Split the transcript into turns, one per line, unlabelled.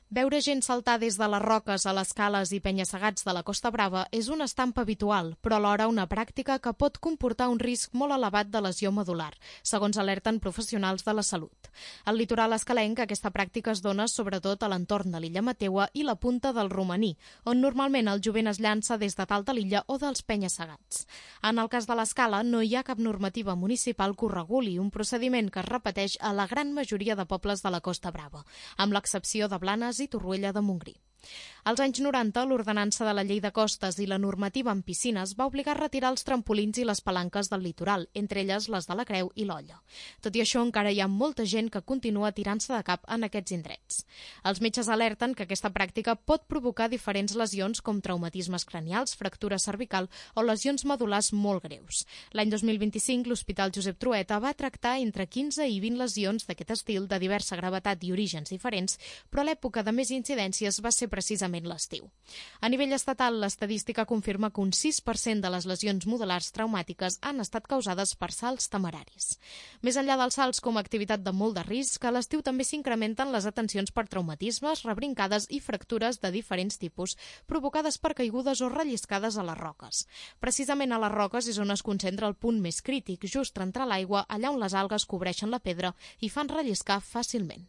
Veure gent saltar des de les roques a les cales i penya-segats de la Costa Brava és una estampa habitual, però alhora una pràctica que pot comportar un risc molt elevat de lesió medular, segons alerten professionals de la salut. Al litoral escalenc, aquesta pràctica es dona sobretot a l'entorn de l'illa Mateua i la punta del Romaní, on normalment el jovent es llança des de dalt de l'illa o dels penya-segats. En el cas de l'escala, no hi ha cap normativa municipal que ho reguli, un procediment que es repeteix a la gran majoria de pobles de la Costa Brava, amb l'excepció de Blanes i Torroella de Montgrí. Als anys 90, l'ordenança de la Llei de Costes i la normativa en piscines va obligar a retirar els trampolins i les palanques del litoral, entre elles les de la Creu i l'Olla. Tot i això, encara hi ha molta gent que continua tirant-se de cap en aquests indrets. Els metges alerten que aquesta pràctica pot provocar diferents lesions com traumatismes cranials, fractura cervical o lesions medulars molt greus. L'any 2025, l'Hospital Josep Trueta va tractar entre 15 i 20 lesions d'aquest estil de diversa gravetat i orígens diferents, però l'època de més incidències va ser precisament l'estiu. A nivell estatal, l'estadística confirma que un 6% de les lesions modulars traumàtiques han estat causades per salts temeraris. Més enllà dels salts com a activitat de molt de risc, a l'estiu també s'incrementen les atencions per traumatismes, rebrincades i fractures de diferents tipus, provocades per caigudes o relliscades a les roques. Precisament a les roques és on es concentra el punt més crític, just entre l'aigua, allà on les algues cobreixen la pedra i fan relliscar fàcilment.